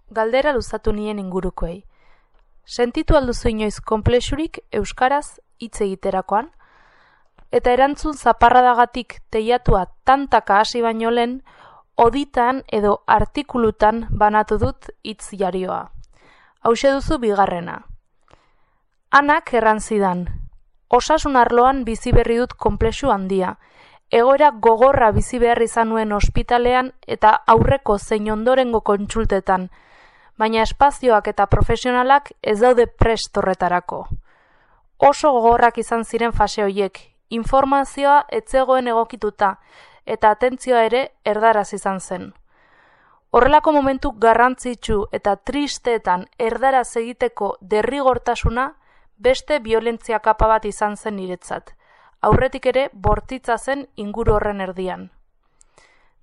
Galdera luzatu nien ingurukoei. Sentitu alduzu inoiz konplexurik euskaraz hitz egiterakoan? Eta erantzun zaparradagatik teiatua tantaka hasi baino lehen, oditan edo artikulutan banatu dut hitz jarioa. Hauxe duzu bigarrena. Anak erran zidan. Osasun arloan bizi berri dut konplexu handia. Egoera gogorra bizi behar izan nuen ospitalean eta aurreko zein ondorengo kontsultetan, baina espazioak eta profesionalak ez daude prest horretarako. Oso gogorrak izan ziren fase horiek, informazioa ez zegoen egokituta eta atentzioa ere erdaraz izan zen. Horrelako momentu garrantzitsu eta tristeetan erdaraz egiteko derrigortasuna beste biolentzia kapa bat izan zen niretzat. Aurretik ere bortitza zen inguru horren erdian.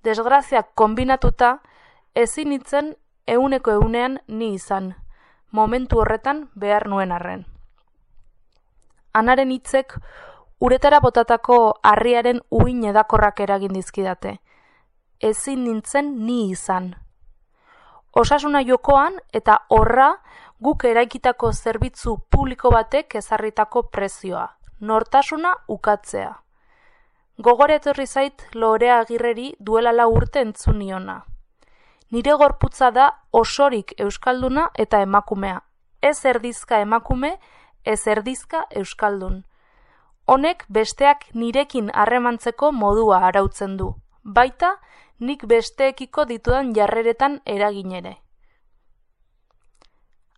Desgraziak konbinatuta, ezin nintzen ehuneko ehunean ni izan, momentu horretan behar nuen arren. Anaren hitzek uretara botatako harriaren uhin edakorrak eragin dizkidate. Ezin nintzen ni izan. Osasuna jokoan eta horra guk eraikitako zerbitzu publiko batek ezarritako prezioa. Nortasuna ukatzea. Gogore etorri zait Lorea Agirreri duela 4 urte entzun niona. Nire gorputza da osorik euskalduna eta emakumea. Ez erdizka emakume, ez erdizka euskaldun. Honek besteak nirekin harremantzeko modua arautzen du. Baita, nik besteekiko ditudan jarreretan eragin ere.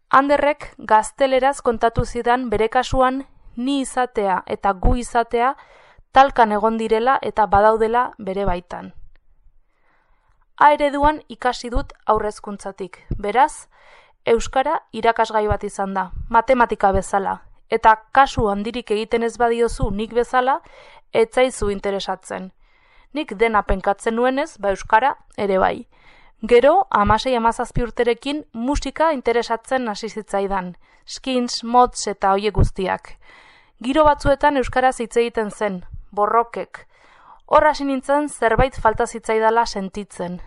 Anderrek gazteleraz kontatu zidan bere kasuan ni izatea eta gu izatea talkan egon direla eta badaudela bere baitan. A ereduan ikasi dut aurrezkuntzatik, beraz, euskara irakasgai bat izan da, matematika bezala, eta kasu handirik egiten ez badiozu nik bezala, ez zaizu interesatzen. Nik dena penkatzen nuenez, euskara ere bai. Gero, 16-17 urterekin musika interesatzen hasi zitzaidan, skins, mods eta hoiek guztiak. Giro batzuetan euskaraz hitz egiten zen, borrokek. Hor hasi nintzen zerbait falta zitzaidala sentitzen.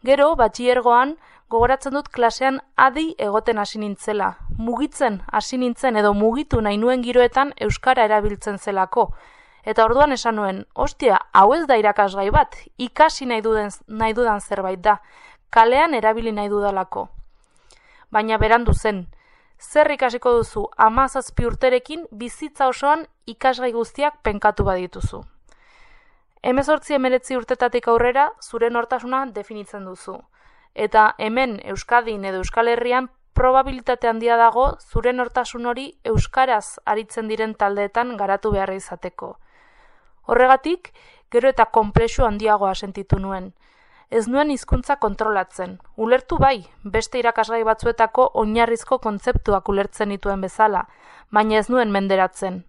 Gero, batxilergoan, gogoratzen dut klasean adi egoten hasi nintzela. Mugitzen hasi nintzen edo mugitu nahi nuen giroetan euskara erabiltzen zelako. Eta orduan esan nuen, ostia, hau ez da irakasgai bat, ikasi nahi dudan zerbait da, kalean erabili nahi dudalako. Baina berandu zen, zer ikasiko duzu 17 urterekin bizitza osoan ikasgai guztiak penkatu badituzu. 18-19 urtetatik aurrera zure nortasuna definitzen duzu. Eta hemen Euskadin edo Euskal Herrian probabilitate handia dago zure nortasun hori euskaraz aritzen diren taldeetan garatu beharra izateko. Horregatik, gero eta konplexu handiagoa sentitu nuen. Ez nuen hizkuntza kontrolatzen. Ulertu bai, beste irakasgai batzuetako oinarrizko kontzeptuak ulertzen dituen bezala, baina ez nuen menderatzen.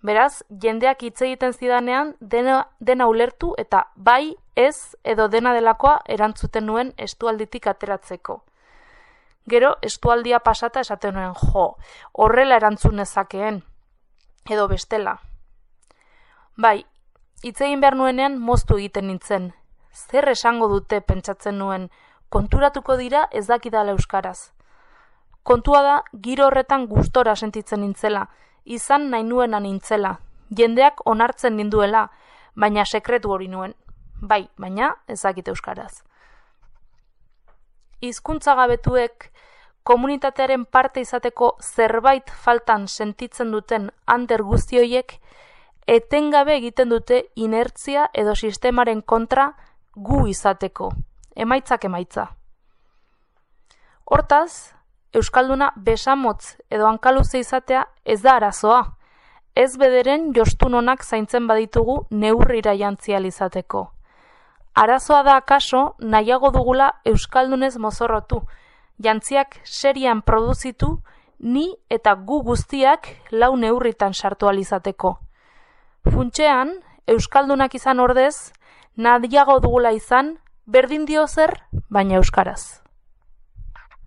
Beraz, jendeak hitz egiten zidanean dena ulertu eta bai, ez edo dena delakoa erantzuten nuen estualditik ateratzeko. Gero, estualdia pasata esaten nuen, horrela erantzun nezakeen, edo bestela. Bai, hitz egin behar nuenean moztu egiten nintzen. Zer esango dute pentsatzen nuen, konturatuko dira ez dakidala euskaraz. Kontua da, giro horretan gustora sentitzen nintzela, izan nahi nuena nintzela, jendeak onartzen ninduela, baina sekretu hori nuen. Bai, baina ez dakit euskaraz. Hizkuntza gabetuek komunitatearen parte izateko zerbait faltan sentitzen duten ander guzti horiek etengabe egiten dute inertzia edo sistemaren kontra gu izateko, emaitzak emaitza. Hortaz, euskalduna besamotz edo hankaluze izatea ez da arazoa, ez bederen jostun onak zaintzen baditugu neurrira jantzial izateko. Arazoa da akaso nahiago dugula euskaldunez mozorrotu, jantziak serian produzitu ni eta gu guztiak 4 neurritan sartu alizateko. Funtsean, euskaldunak izan ordez, nahiago dugula izan, berdin dio zer, baina euskaraz.